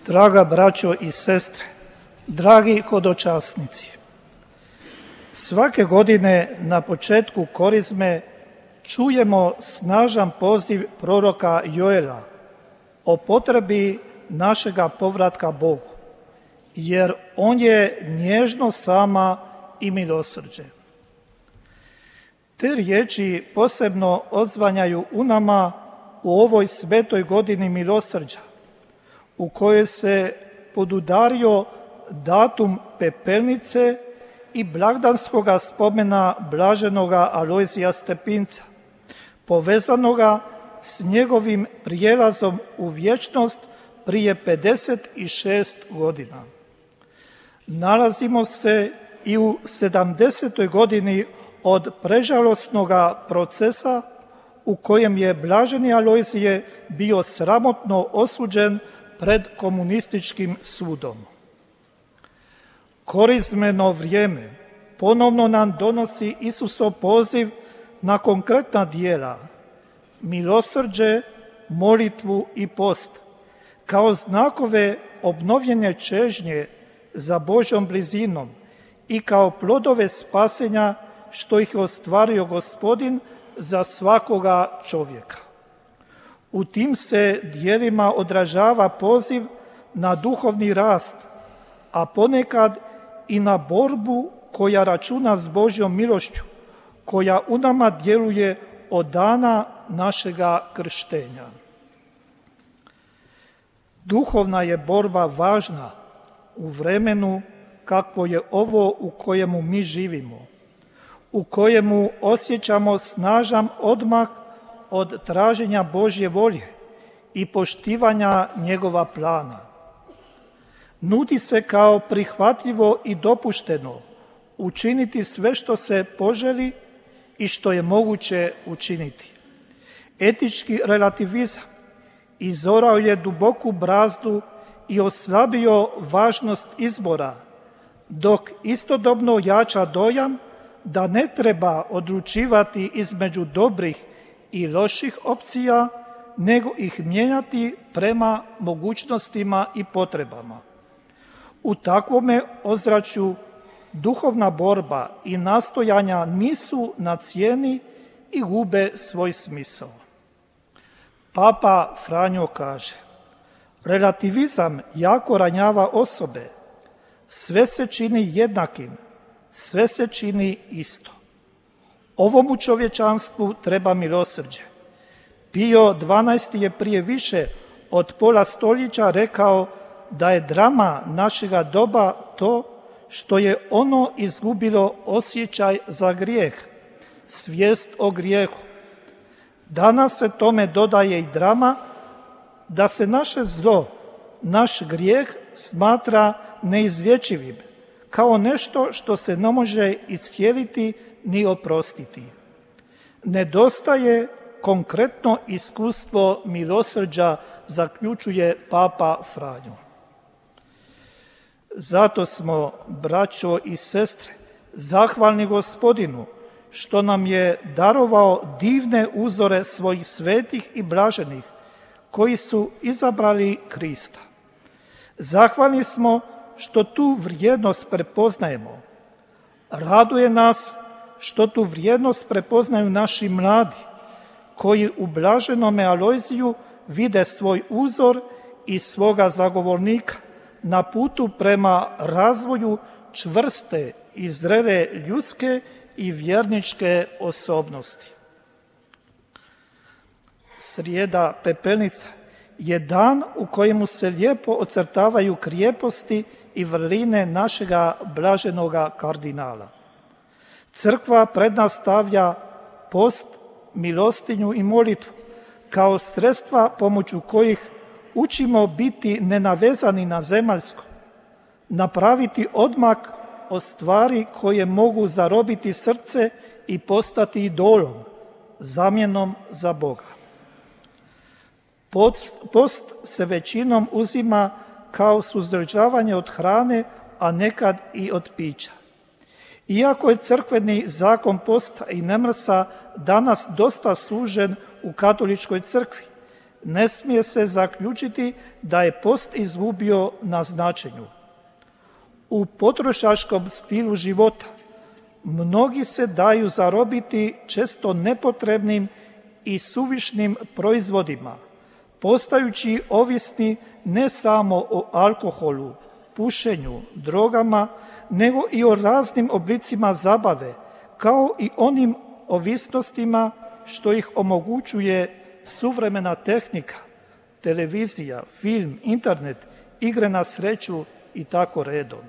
Draga braćo i sestre, dragi hodočasnici, svake godine na početku Korizme čujemo snažan poziv proroka Joela o potrebi našega povratka Bogu, jer on je nježno sama i milosrđe. Te riječi posebno odzvanjaju u nama u ovoj svetoj godini milosrđa, u kojoj se podudario datum pepelnice i blagdanskoga spomena blaženoga Alojzija Stepinca, povezanoga s njegovim prijelazom u vječnost prije 56 godina. Nalazimo se i u 70. godini od prežalosnoga procesa u kojem je blaženi Alojzije bio sramotno osuđen pred komunističkim sudom. Korizmeno vrijeme ponovno nam donosi Isusov poziv na konkretna djela, milosrđe, molitvu i post, kao znakove obnovljene čežnje za Božjom blizinom i kao plodove spasenja što ih je ostvario Gospodin za svakoga čovjeka. U tim se djelima odražava poziv na duhovni rast, a ponekad i na borbu koja računa s Božjom milošću, koja u nama djeluje od dana našega krštenja. Duhovna je borba važna u vremenu kakvo je ovo u kojemu mi živimo, u kojemu osjećamo snažan odmak od traženja Božje volje i poštivanja njegova plana. Nudi se kao prihvatljivo i dopušteno učiniti sve što se poželi i što je moguće učiniti. Etički relativizam izorao je duboku brazdu i oslabio važnost izbora, dok istodobno jača dojam da ne treba odlučivati između dobrih i loših opcija, nego ih mijenjati prema mogućnostima i potrebama. U takvome ozračju duhovna borba i nastojanja nisu na cijeni i gube svoj smisao. Papa Franjo kaže: relativizam jako ranjava osobe, sve se čini jednakim, sve se čini isto. Ovomu čovječanstvu treba milosrđe. Pio XII. Je prije više od pola stoljeća rekao da je drama našega doba to što je ono izgubilo osjećaj za grijeh, svijest o grijehu. Danas se tome dodaje i drama da se naše zlo, naš grijeh smatra neizlječivim, kao nešto što se ne može iscijeliti ni oprostiti. Nedostaje konkretno iskustvo milosrđa, zaključuje Papa Franjo. Zato smo, braćo i sestre, zahvalni Gospodinu što nam je darovao divne uzore svojih svetih i blaženih koji su izabrali Krista. Zahvalni smo što tu vrijednost prepoznajemo. Raduje nas što tu vrijednost prepoznaju naši mladi, koji u blaženome Alojziju vide svoj uzor i svoga zagovornika na putu prema razvoju čvrste i zrele ljudske i vjerničke osobnosti. Srijeda pepelnica je dan u kojemu se lijepo ocrtavaju krijeposti i vrline našega blaženoga kardinala. Crkva pred nas stavlja post, milostinju i molitvu kao sredstva pomoću kojih učimo biti nenavezani na zemaljsko, napraviti odmak od stvari koje mogu zarobiti srce i postati idolom, zamjenom za Boga. Post se većinom uzima kao suzdržavanje od hrane, a nekad i od pića. Iako je crkveni zakon posta i nemrsa danas dosta služen u katoličkoj crkvi, ne smije se zaključiti da je post izgubio na značenju. U potrošačkom stilu života mnogi se daju zarobiti često nepotrebnim i suvišnim proizvodima, postajući ovisni ne samo o alkoholu, pušenju, drogama, nego i o raznim oblicima zabave, kao i onim ovisnostima što ih omogućuje suvremena tehnika, televizija, film, internet, igre na sreću i tako redom.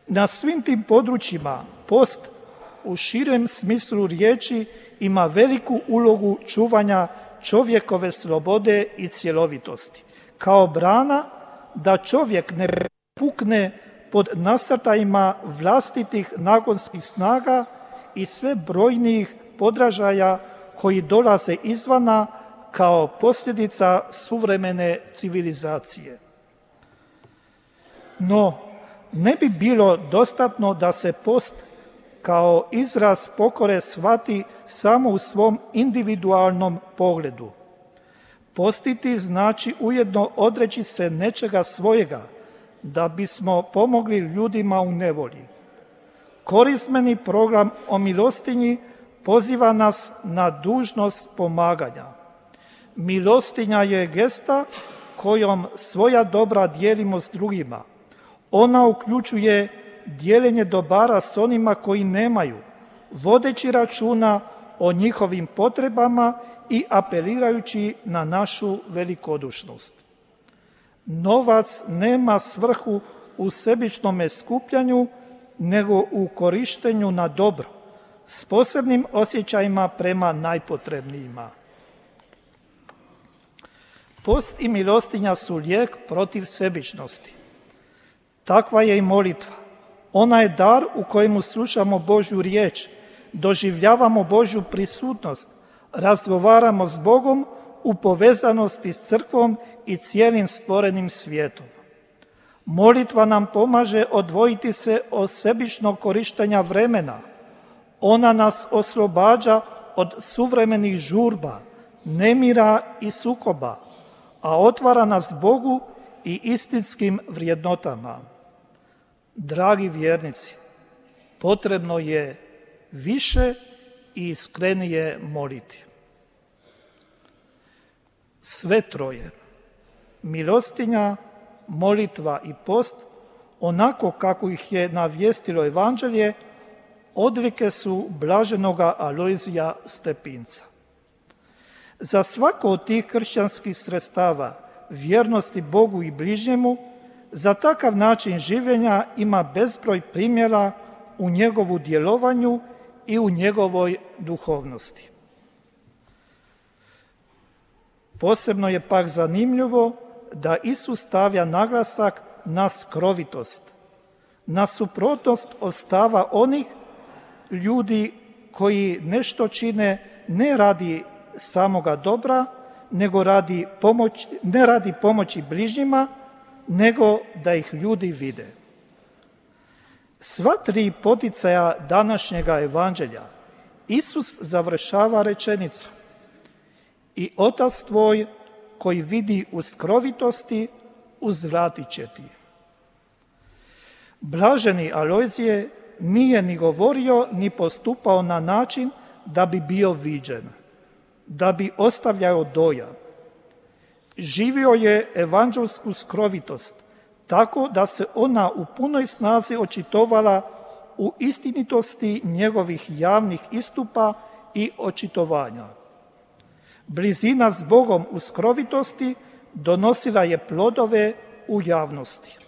Na svim tim područjima post u širem smislu riječi ima veliku ulogu čuvanja čovjekove slobode i cjelovitosti, kao brana da čovjek ne pukne pod nasrtajima vlastitih nagonskih snaga i sve brojnijih podražaja koji dolaze izvana kao posljedica suvremene civilizacije. No, ne bi bilo dostatno da se post kao izraz pokore shvati samo u svom individualnom pogledu. Postiti znači ujedno odreći se nečega svojega da bismo pomogli ljudima u nevolji. Korizmeni program o milostinji poziva nas na dužnost pomaganja. Milostinja je gesta kojom svoja dobra dijelimo s drugima. Ona uključuje dijeljenje dobara s onima koji nemaju, vodeći računa o njihovim potrebama i apelirajući na našu velikodušnost. Novac nema svrhu u sebičnome skupljanju, nego u korištenju na dobro, s posebnim osjećajima prema najpotrebnijima. Post i milostinja su lijek protiv sebičnosti. Takva je i molitva. Ona je dar u kojemu slušamo Božju riječ, doživljavamo Božju prisutnost, razgovaramo s Bogom u povezanosti s crkvom i cijelim stvorenim svijetom. Molitva nam pomaže odvojiti se od sebičnog korištenja vremena. Ona nas oslobađa od suvremenih žurba, nemira i sukoba, a otvara nas Bogu i istinskim vrijednotama. Dragi vjernici, potrebno je više i iskrenije moliti. Sve troje, milostinja, molitva i post, onako kako ih je navijestilo Evanđelje, odlike su blaženoga Alojzija Stepinca. Za svako od tih kršćanskih sredstava vjernosti Bogu i bližnjemu, za takav način življenja ima bezbroj primjera u njegovu djelovanju i u njegovoj duhovnosti. Posebno je pak zanimljivo da Isus stavlja naglasak na skrovitost, na suprotnost od stava onih ljudi koji nešto čine ne radi samoga dobra, nego ne radi pomoći bližnjima, nego da ih ljudi vide. Sva tri poticaja današnjega evanđelja Isus završava rečenicom: i Otac tvoj koji vidi u skrovitosti, uzvratit će ti. Blaženi Alojzije nije ni govorio ni postupao na način da bi bio viđen, da bi ostavljao dojam. Živio je evanđelsku skrovitost, tako da se ona u punoj snazi očitovala u istinitosti njegovih javnih istupa i očitovanja. Blizina s Bogom u skrovitosti donosila je plodove u javnosti.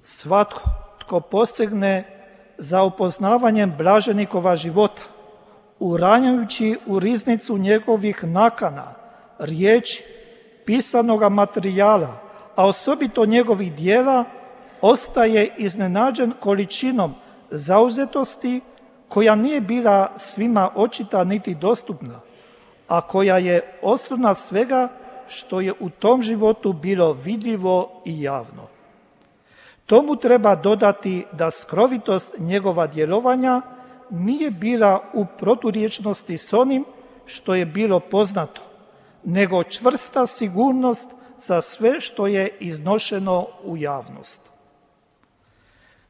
Svatko tko posegne za upoznavanjem blaženikova života, uranjajući u riznicu njegovih nakana, riječi, pisanoga materijala, a osobito njegovih dijela, ostaje iznenađen količinom zauzetosti koja nije bila svima očita niti dostupna, a koja je osnovna svega što je u tom životu bilo vidljivo i javno. Tomu treba dodati da skrovitost njegova djelovanja nije bila u proturječnosti s onim što je bilo poznato, nego čvrsta sigurnost za sve što je iznošeno u javnost.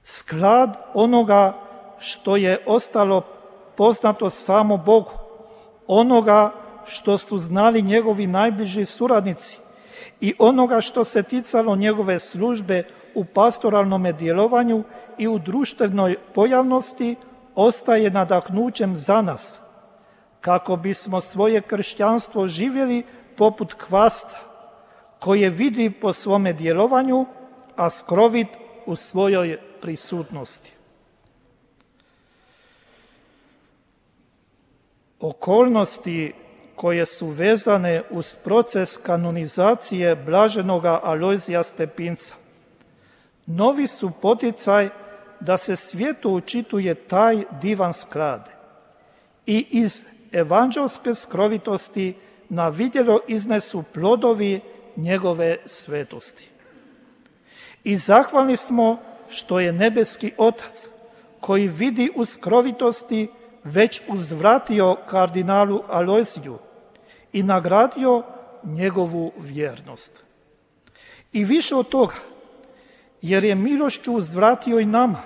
Sklad onoga što je ostalo poznato samo Bogu, onoga što su znali njegovi najbliži suradnici i onoga što se ticalo njegove službe u pastoralnom djelovanju i u društvenoj pojavnosti, ostaje nadahnućem za nas, kako bismo svoje kršćanstvo živjeli poput kvasta, koje vidi po svome djelovanju, a skrovit u svojoj prisutnosti. Okolnosti koje su vezane uz proces kanonizacije blaženoga Alojzija Stepinca novi su poticaj da se svijetu učituje taj divan sklad i iz evanđelske skrovitosti na vidjelo iznesu plodovi njegove svetosti. I zahvalni smo što je nebeski Otac, koji vidi u skrovitosti, već uzvratio kardinalu Alojziju i nagradio njegovu vjernost. I više od toga, jer je milošću uzvratio i nama,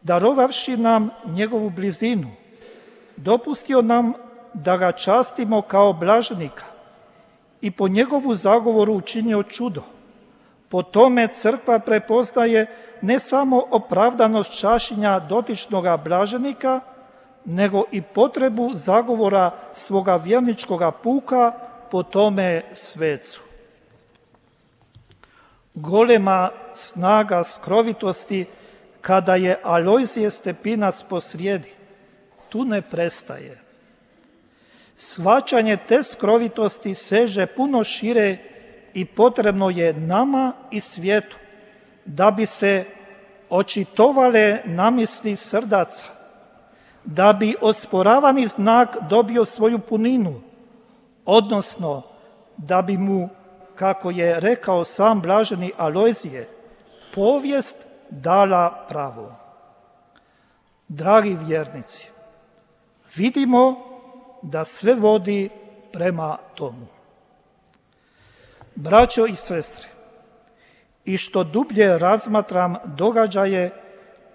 darovavši nam njegovu blizinu, dopustio nam da ga častimo kao blaženika i po njegovu zagovoru učinio čudo. Po tome crkva prepoznaje ne samo opravdanost čašenja dotičnoga blaženika, nego i potrebu zagovora svoga vjerničkoga puka po tome svecu. Golema snaga skrovitosti kada je Alojzije Stepinac posrijedi, tu ne prestaje. Shvaćanje te skrovitosti seže puno šire i potrebno je nama i svijetu da bi se očitovale namisli srdaca, da bi osporavani znak dobio svoju puninu, odnosno da bi mu, kako je rekao sam blaženi Alojzije, povijest dala pravo. Dragi vjernici, vidimo da sve vodi prema tomu. Braćo i sestre, i što dublje razmatram događaje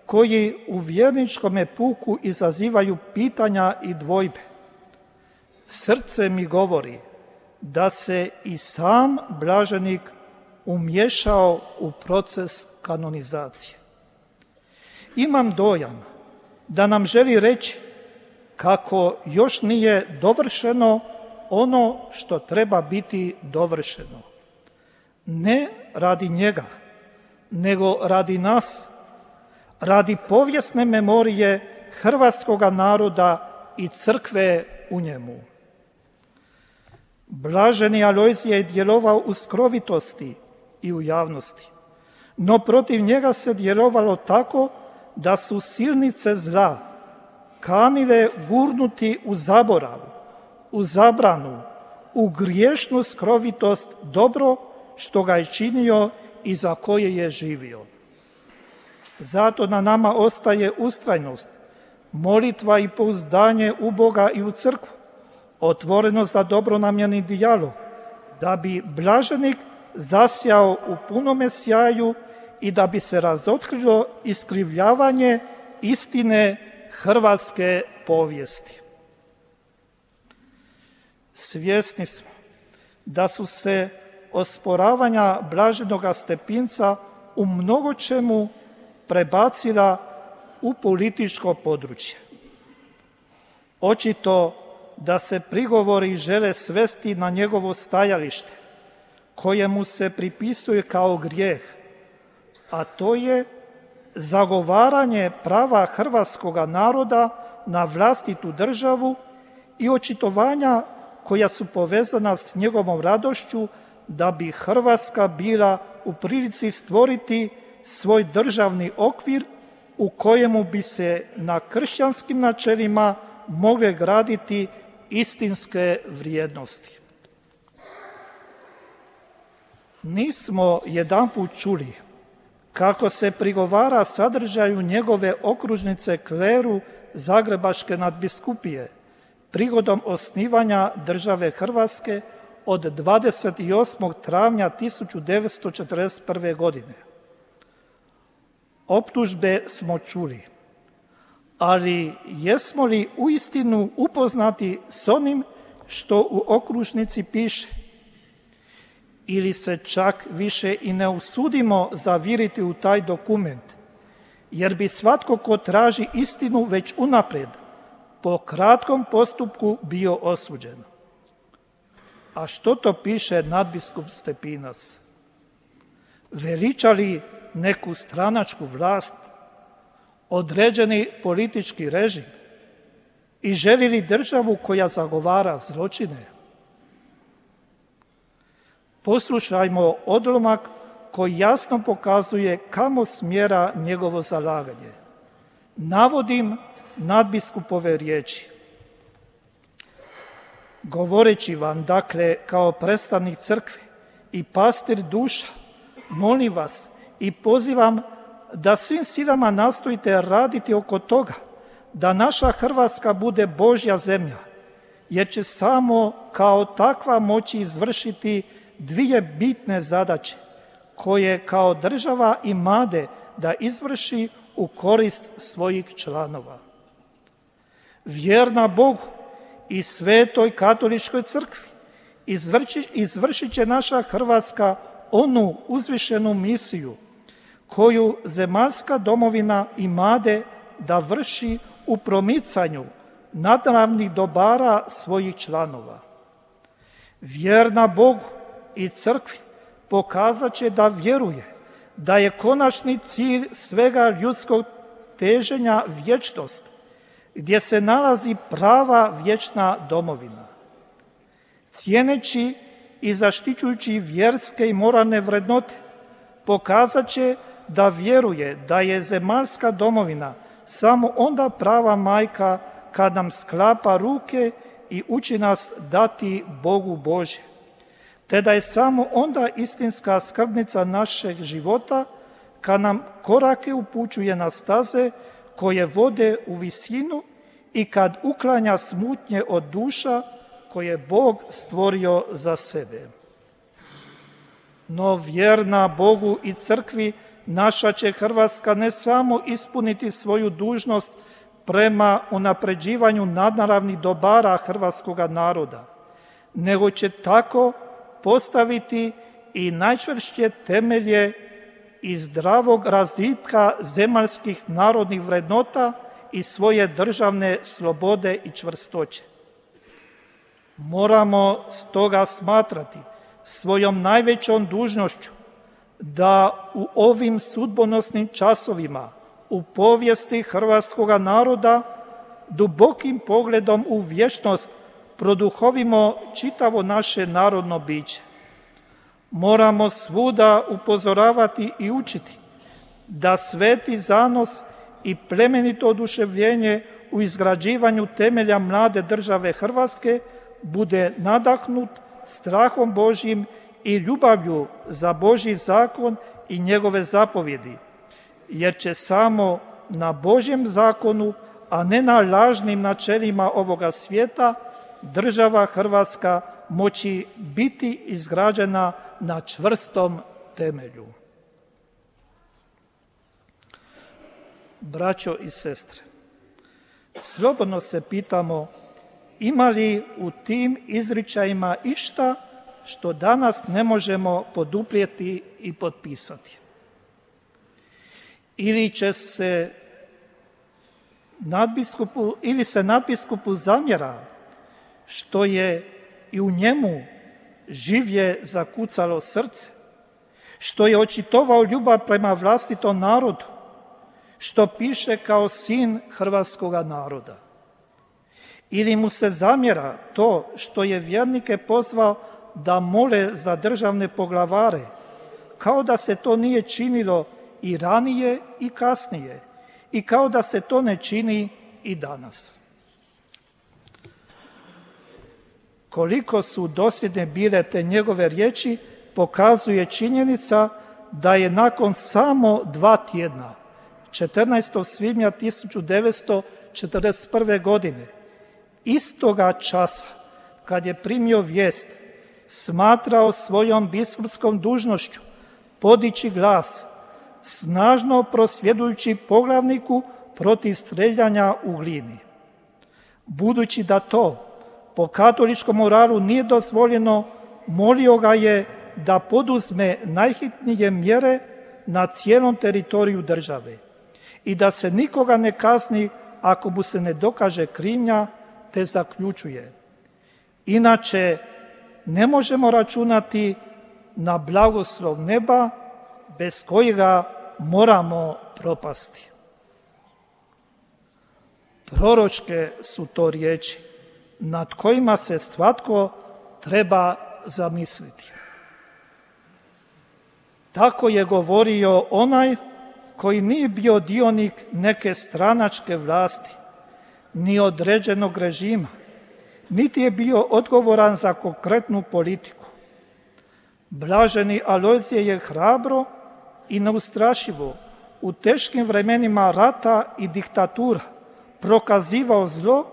koji u vjerničkome puku izazivaju pitanja i dvojbe, srce mi govori da se i sam blaženik umiješao u proces kanonizacije. Imam dojam da nam želi reći kako još nije dovršeno ono što treba biti dovršeno. Ne radi njega, nego radi nas, radi povijesne memorije hrvatskoga naroda i crkve u njemu. Blaženi Alojzije je djelovao u skrovitosti i u javnosti, no protiv njega se djelovalo tako da su silnice zla kanile gurnuti u zaborav, u zabranu, u griješnu skrovitost dobro što ga je činio i za koje je živio. Zato na nama ostaje ustrajnost, molitva i pouzdanje u Boga i u crkvu, otvorenost za dobronamjerni dijalog, da bi blaženik zasjao u punome sjaju i da bi se razotkrilo iskrivljavanje istine hrvatske povijesti. Svjesni smo da su se osporavanja blaženoga Stepinca u mnogočemu prebacila u političko područje. Očito da se prigovori žele svesti na njegovo stajalište, kojemu se pripisuje kao grijeh, a to je zagovaranje prava hrvatskoga naroda na vlastitu državu i očitovanja koja su povezana s njegovom radošću da bi Hrvatska bila u prilici stvoriti svoj državni okvir u kojemu bi se na kršćanskim načelima mogle graditi istinske vrijednosti. Nismo jedanput čuli kako se prigovara sadržaju njegove okružnice kleru Zagrebačke nadbiskupije, prigodom osnivanja države Hrvatske od 28. travnja 1941. godine. Optužbe smo čuli, ali jesmo li uistinu upoznati s onim što u okružnici piše? Ili se čak više i ne usudimo zaviriti u taj dokument, jer bi svatko ko traži istinu već unaprijed po kratkom postupku bio osuđen. A što to piše nadbiskup Stepinac? Veliča li neku stranačku vlast, određeni politički režim i želi li državu koja zagovara zločine? Poslušajmo odlomak koji jasno pokazuje kamo smjera njegovo zalaganje. Navodim nadbiskupove riječi. Govoreći vam, dakle, kao predstavnik crkve i pastir duša, molim vas i pozivam da svim silama nastojite raditi oko toga da naša Hrvatska bude Božja zemlja, jer će samo kao takva moći izvršiti dvije bitne zadaće koje kao država imade da izvrši u korist svojih članova. Vjerna Bogu i Svetoj katoličkoj crkvi izvršit će naša Hrvatska onu uzvišenu misiju koju zemaljska domovina imade da vrši u promicanju nadravnih dobara svojih članova. Vjerna Bogu i crkvi pokazat će da vjeruje da je konačni cilj svega ljudskog teženja vječnost, gdje se nalazi prava vječna domovina. Cijeneći i zaštićujući vjerske i moralne vrednote, pokazat će da vjeruje da je zemaljska domovina samo onda prava majka kad nam sklapa ruke i uči nas dati Bogu Božje, te da je samo onda istinska skrbnica našeg života kad nam korake upućuje na staze koje vode u visinu i kad uklanja smutnje od duša koje Bog stvorio za sebe. No vjerna Bogu i crkvi naša će Hrvatska ne samo ispuniti svoju dužnost prema unapređivanju nadnaravnih dobara hrvatskoga naroda, nego će tako postaviti i najčvršće temelje i zdravog razvitka zemaljskih narodnih vrednota i svoje državne slobode i čvrstoće. Moramo stoga smatrati svojom najvećom dužnošću da u ovim sudbonosnim časovima u povijesti hrvatskoga naroda dubokim pogledom u vječnost produhovimo čitavo naše narodno biće. Moramo svuda upozoravati i učiti da sveti zanos i plemenito oduševljenje u izgrađivanju temelja mlade države Hrvatske bude nadahnut strahom Božjim i ljubavlju za Božji zakon i njegove zapovjedi, jer će samo na Božjem zakonu, a ne na lažnim načelima ovoga svijeta, država Hrvatska moći biti izgrađena na čvrstom temelju. Braćo i sestre, slobodno se pitamo ima li u tim izričajima išta što danas ne možemo poduprijeti i potpisati. Ili se nadbiskupu zamjera što je i u njemu življe zakucalo srce, što je očitovao ljubav prema vlastitom narodu, što piše kao sin hrvatskoga naroda. Ili mu se zamjera to što je vjernike pozvao da mole za državne poglavare, kao da se to nije činilo i ranije i kasnije, i kao da se to ne čini i danas. Koliko su dosljedne bile te njegove riječi, pokazuje činjenica da je nakon samo 2 tjedna, 14. svibnja 1941. godine, istoga časa kad je primio vijest, smatrao svojom biskupskom dužnošću podići glas, snažno prosvjedujući poglavniku protiv streljanja u Glini. Budući da to po katoličkom moralu nije dozvoljeno, molio ga je da poduzme najhitnije mjere na cijelom teritoriju države i da se nikoga ne kazni ako mu se ne dokaže krivnja, te zaključuje: inače ne možemo računati na blagoslov neba bez kojega moramo propasti. Proročke su to riječi nad kojima se svatko treba zamisliti. Tako je govorio onaj koji nije bio dionik neke stranačke vlasti, ni određenog režima, niti je bio odgovoran za konkretnu politiku. Blaženi Alojzije je hrabro i neustrašivo u teškim vremenima rata i diktatura prokazivao zlo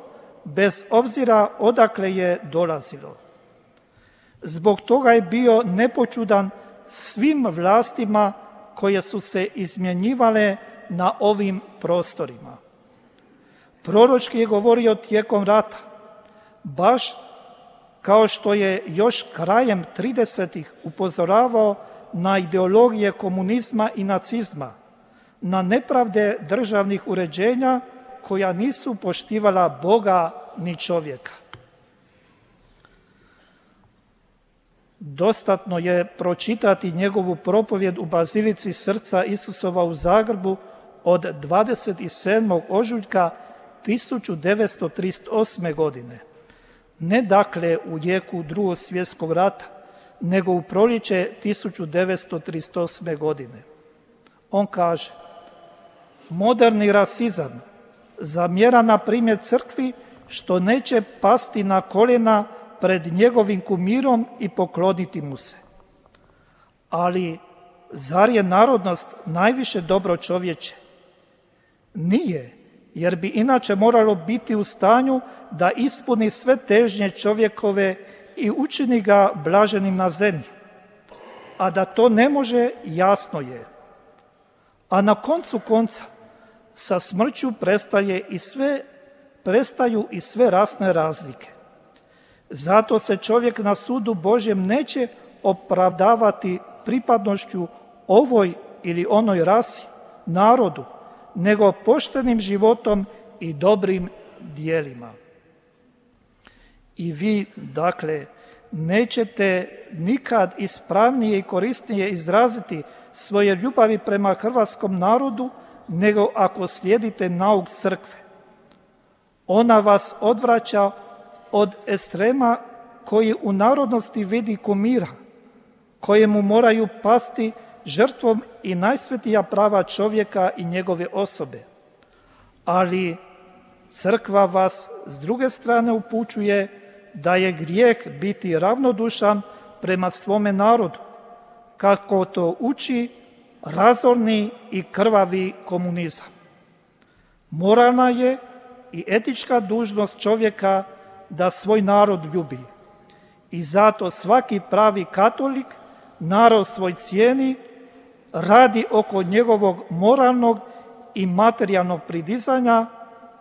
bez obzira odakle je dolazilo. Zbog toga je bio nepočudan svim vlastima koje su se izmjenjivale na ovim prostorima. Proročki je govorio tijekom rata, baš kao što je još krajem 30-ih upozoravao na ideologije komunizma i nacizma, na nepravde državnih uređenja koja nisu poštivala Boga ni čovjeka. Dostatno je pročitati njegovu propovjed u Bazilici Srca Isusova u Zagrebu od 27. ožujka 1938. godine. Ne dakle u jeku Drugog svjetskog rata, nego u proljeće 1938. godine. On kaže: moderni rasizam zamjera na primjer crkvi što neće pasti na koljena pred njegovim kumirom i pokloniti mu se. Ali zar je narodnost najviše dobro čovječe? Nije, jer bi inače moralo biti u stanju da ispuni sve težnje čovjekove i učini ga blaženim na zemlji. A da to ne može, jasno je. A na koncu konca, sa smrću prestaju i sve rasne razlike. Zato se čovjek na sudu Božjem neće opravdavati pripadnošću ovoj ili onoj rasi, narodu, nego poštenim životom i dobrim dijelima. I vi, dakle, nećete nikad ispravnije i korisnije izraziti svoje ljubavi prema hrvatskom narodu, nego ako slijedite nauk crkve. Ona vas odvraća od ekstrema koji u narodnosti vidi kumira, kojemu moraju pasti žrtvom i najsvetija prava čovjeka i njegove osobe. Ali crkva vas s druge strane upućuje da je grijeh biti ravnodušan prema svome narodu, kako to uči razorni i krvavi komunizam. Moralna je i etička dužnost čovjeka da svoj narod ljubi. I zato svaki pravi katolik narod svoj cijeni, radi oko njegovog moralnog i materijalnog pridizanja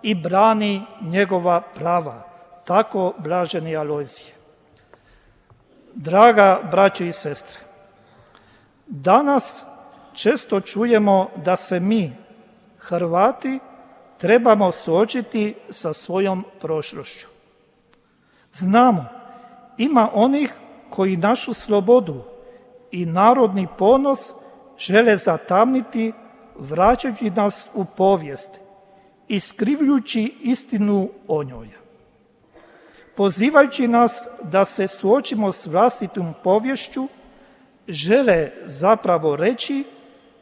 i brani njegova prava. Tako blaženi Alojzije. Draga braćo i sestre, danas često čujemo da se mi, Hrvati, trebamo suočiti sa svojom prošlošću. Znamo, ima onih koji našu slobodu i narodni ponos žele zatamniti, vraćajući nas u povijest, iskrivljujući istinu o njoj. Pozivajući nas da se suočimo s vlastitom poviješću, žele zapravo reći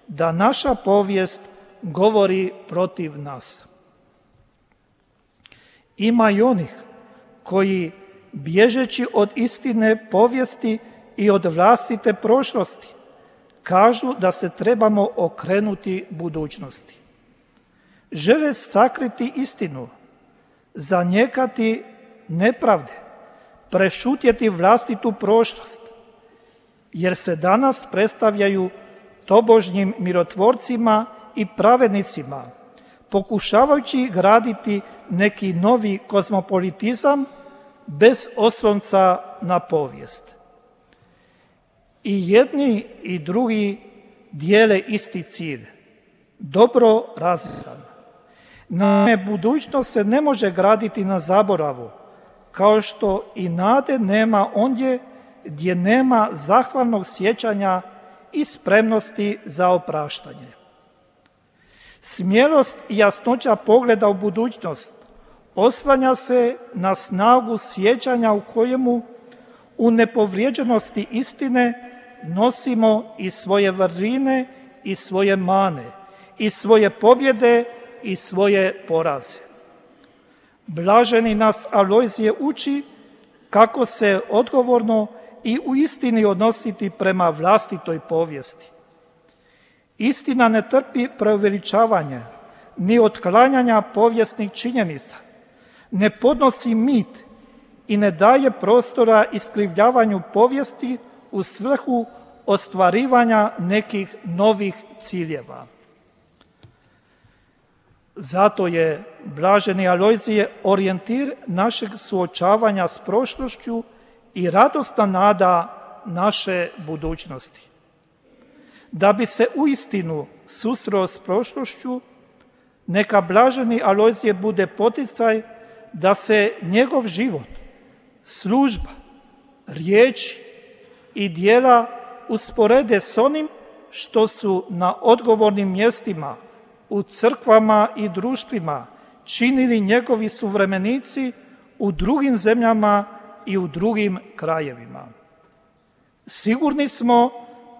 da naša povijest govori protiv nas. Ima i onih koji, bježeći od istine povijesti i od vlastite prošlosti, kažu da se trebamo okrenuti budućnosti. Žele sakriti istinu, zanijekati nepravde, prešutjeti vlastitu prošlost, jer se danas predstavljaju tobožnjim mirotvorcima i pravednicima, pokušavajući graditi neki novi kozmopolitizam bez oslonca na povijest. I jedni i drugi dijele isti cilj, dobro razvijan. Naime, budućnost se ne može graditi na zaboravu, kao što i nade nema ondje gdje nema zahvalnog sjećanja i spremnosti za opraštanje. Smjelost i jasnoća pogleda u budućnost oslanja se na snagu sjećanja u kojemu u nepovrijeđenosti istine nosimo i svoje vrline i svoje mane, i svoje pobjede i svoje poraze. Blaženi nas Alojzije uči kako se odgovorno i u istini odnositi prema vlastitoj povijesti. Istina ne trpi preuveličavanje, ni otklanjanja povijesnih činjenica, ne podnosi mit i ne daje prostora iskrivljavanju povijesti u svrhu ostvarivanja nekih novih ciljeva. Zato je blaženi Alojzije orijentir našeg suočavanja s prošlošću i radosna nada naše budućnosti. Da bi se uistinu susreo s prošlošću, neka blaženi Alojzije bude poticaj da se njegov život, služba, riječi i djela usporede s onim što su na odgovornim mjestima u crkvama i društvima činili njegovi suvremenici u drugim zemljama i u drugim krajevima. Sigurni smo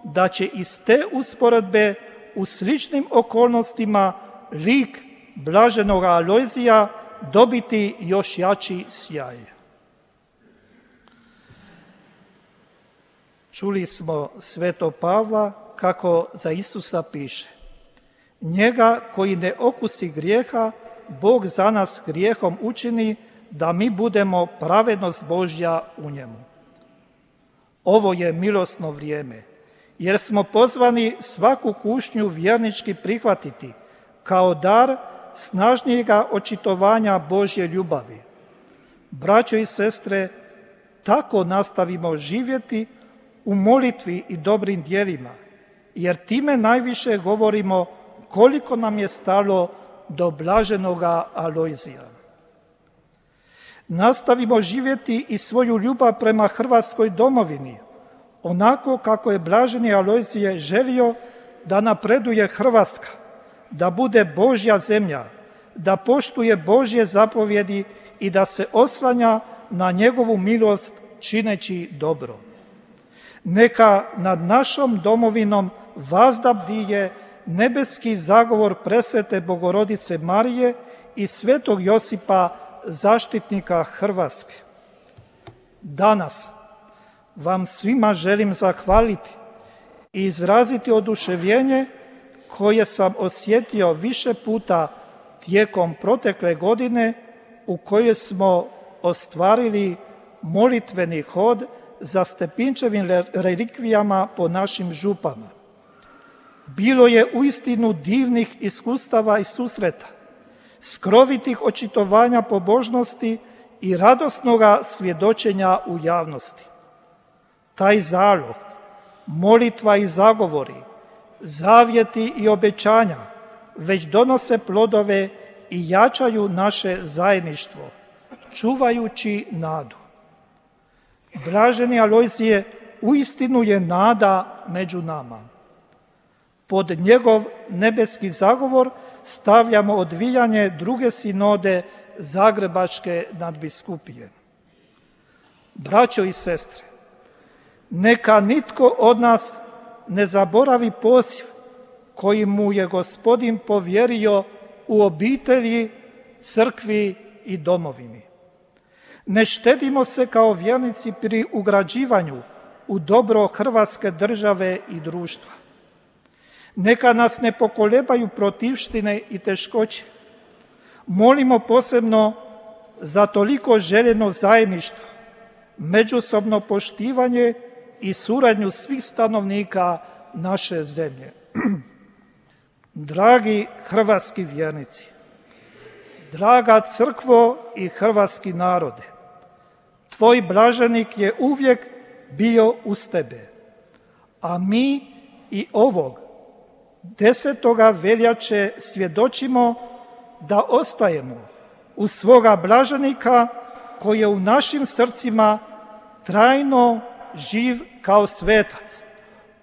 da će iz te usporedbe u sličnim okolnostima lik blaženog Alojzija dobiti još jači sjaj. Čuli smo sveto Pavla kako za Isusa piše: njega koji ne okusi grijeha, Bog za nas grijehom učini da mi budemo pravednost Božja u njemu. Ovo je milosno vrijeme, jer smo pozvani svaku kušnju vjernički prihvatiti kao dar snažnijega očitovanja Božje ljubavi. Braćo i sestre, tako nastavimo živjeti u molitvi i dobrim djelima, jer time najviše govorimo koliko nam je stalo do blaženoga Alojzija. Nastavimo živjeti i svoju ljubav prema Hrvatskoj domovini, onako kako je blaženi Alojzije želio da napreduje Hrvatska, da bude Božja zemlja, da poštuje Božje zapovjedi i da se oslanja na njegovu milost čineći dobro. Neka nad našom domovinom vazda bdije nebeski zagovor presvete Bogorodice Marije i svetog Josipa, zaštitnika Hrvatske. Danas vam svima želim zahvaliti i izraziti oduševljenje koje sam osjetio više puta tijekom protekle godine u kojoj smo ostvarili molitveni hod za Stepinčevim relikvijama po našim župama. Bilo je uistinu divnih iskustava i susreta, skrovitih očitovanja pobožnosti i radosnoga svjedočenja u javnosti. Taj zalog, molitva i zagovori, zavjeti i obećanja već donose plodove i jačaju naše zajedništvo, čuvajući nadu. Blaženi Alojzije uistinu je nada među nama. Pod njegov nebeski zagovor stavljamo odvijanje druge sinode Zagrebačke nadbiskupije. Braćo i sestre, neka nitko od nas ne zaboravi poziv koji mu je Gospodin povjerio u obitelji, crkvi i domovini. Ne štedimo se kao vjernici pri ugrađivanju u dobro Hrvatske države i društva. Neka nas ne pokolebaju protivštine i teškoće. Molimo posebno za toliko željeno zajedništvo, međusobno poštivanje i suradnju svih stanovnika naše zemlje. Dragi hrvatski vjernici, draga crkvo i hrvatski narode, tvoj blaženik je uvijek bio uz tebe, a mi i ovog 10. veljače svjedočimo da ostajemo uz svoga blaženika koji je u našim srcima trajno živ kao svetac.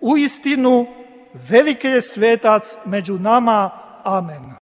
Uistinu, veliki je svetac među nama. Amen.